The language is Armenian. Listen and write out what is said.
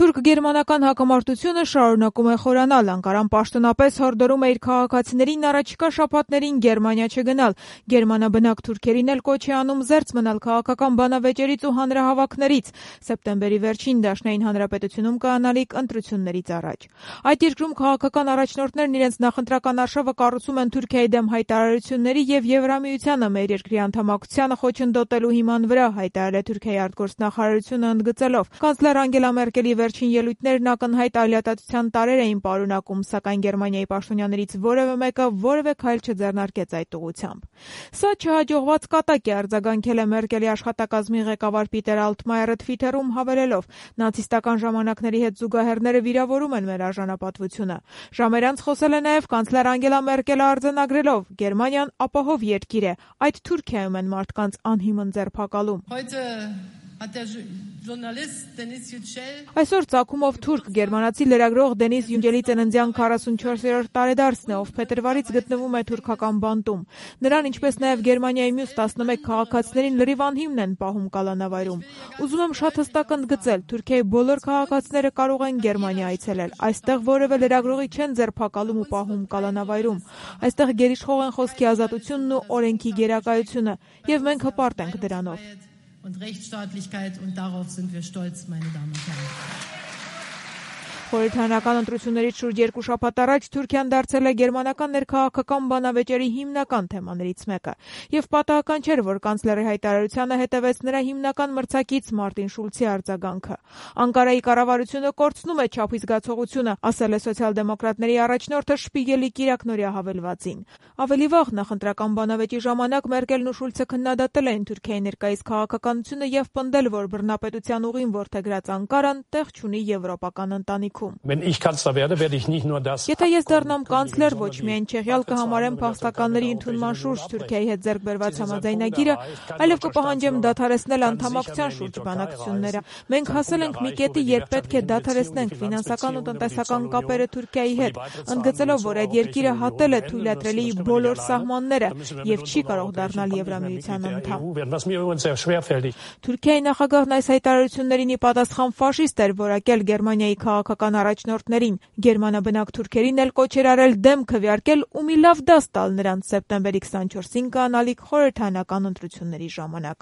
Թուրք-գերմանական հակամարտությունը շարունակում է խորանալ։ Անկարան պաշտոնապես հորդորում է իր քաղաքացիներին առաջիկա շաբաթներին Գերմանիա չգնալ։ Գերմանաբնակ թուրքերին էլ կոչ է անում զերծ մնալ քաղաքական բանավեճերից ու հանրահավաքներից սեպտեմբերի վերջին Դաշնային Հանրապետությունում կայանալիք ընտրություններից առաջ։ Այդ երկրում քաղաքական առաջնորդներն իրենց նախընտրական արշավը կառուցում են Թուրքիայի դեմ հայտարարությունների եւ Եվրամիությանը մեր երկրի անդամակցությանը խոչընդոտելու հիման վրա, հայտարարել է Թուրքիայի արտգործնախարարությունը ընդգծելով. Կանցլեր Անգելա Մերկելի վերջին ելույթներն ակնհայտ ալիատացության տարրեր էին պարունակում, սակայն Գերմանիայի պաշտոնյաներից որևէ մեկը որևէ քայլ չձեռնարկեց այդ ուղղությամբ։ Սա չհաջողված կատակ է, արձագանքել է Մերկելի աշխատակազմի ղեկավար Պիտեր Ալտմայերը Թվիթերում հավելելով. նացիստական ժամանակների հետ զուգահեռները վիրավորում են մեր արժանապատվությունը։ Ժամեր անց խոսել է նաև կանցլեր Անգելա Մերկելը արձանագրելով. Գերմանիան ապահով երկիր է, այդ Թուրքիայում են մարդկանց անհիմն ձերբակալում։ Այսօր ծագումով թուրք գերմանացի լրագրող Դենիս Յունջելի ծննդյան 44-րդ տարեդարձն է, ով փետրվարից գտնվում է թուրքական բանտում։ Նրան, ինչպես նաև Գերմանիայի մյուս 11 քաղաքացիներին լրիվ անհիմն են պահում կալանավայրում։ Ուզում եմ շատ հստակ ընդգծել, Թուրքիայի բոլոր քաղաքացիները կարող են Գերմանիա այցելել։ Այստեղ որևէ լրագրողի չեն ձերբակալում ու պահում կալանավայրում։ Այստեղ գերիշխող են խոսքի ազատությունն ու օրենքի գերակայությունը, եւ մենք հպարտ ենք դրանով։ Und Rechtsstaatlichkeit, und darauf sind wir stolz, meine Damen und Herren. Խորհրդարանական ընտրություններից շուրջ 2 շաբաթ առաջ Թուրքիան դարձել է գերմանական ներքաղաքական բանավեճերի հիմնական թեմաներից մեկը։ Եվ պատահական չէր, որ կանցլերի հայտարարությանը հետևեց նրա հիմնական մրցակից Մարտին Շուլցի արձագանքը։ Անկարայի կառավարությունը կորցնում է չափի զգացողությունը, ասել է սոցիալ-դեմոկրատների առաջնորդը Շպիգելի կիրակնօրյա հավելվածին։ Ավելի վաղ նախընտրական բանավեճի ժամանակ Մերկելն ու Շուլցը քննադատել էին Թուրքիայի ներկայիս քաղաքականությունը եւ պնդել, որ բռնապետության ուղին որդեգրած Անկարան տեղ չունի եվրոպական ընտանիքում։ Եթե ես դառնամ կանցլեր, ոչ միայն Չեխիալ կհամարեմ փախստականների ընդունման շուրջ Թուրքիայի հետ ձեռք բերված համաձայնագիրը, այլև կպահանջեմ դադարեցնել անդամակցության շուրջ բանակցությունները։ Մենք հասել ենք մի կետի, երբ պետք է դադարեցնենք ֆինանսական ու տնտեսական կապերը Թուրքիայի հետ, ընդգծելով, որ այդ երկիրը հատել է թույլատրելի բոլոր սահմանները եւ չի կարող դառնալ Եվրամիության անդամ։ Թուրքիայի նախագահն այս հայտարարություններին ի պատասխան ֆաշիստ էր որակել Գերմանիայի քաղաքական առաջնորդներին։ Գերմանաբնակ թուրքերին էլ կոչ էր արել դեմ քվեարկել ու մի լավ դաս տալ նրանց սեպտեմբերի 24-ին կանալիք խորհրդարանական ընտրությունների ժամանակ։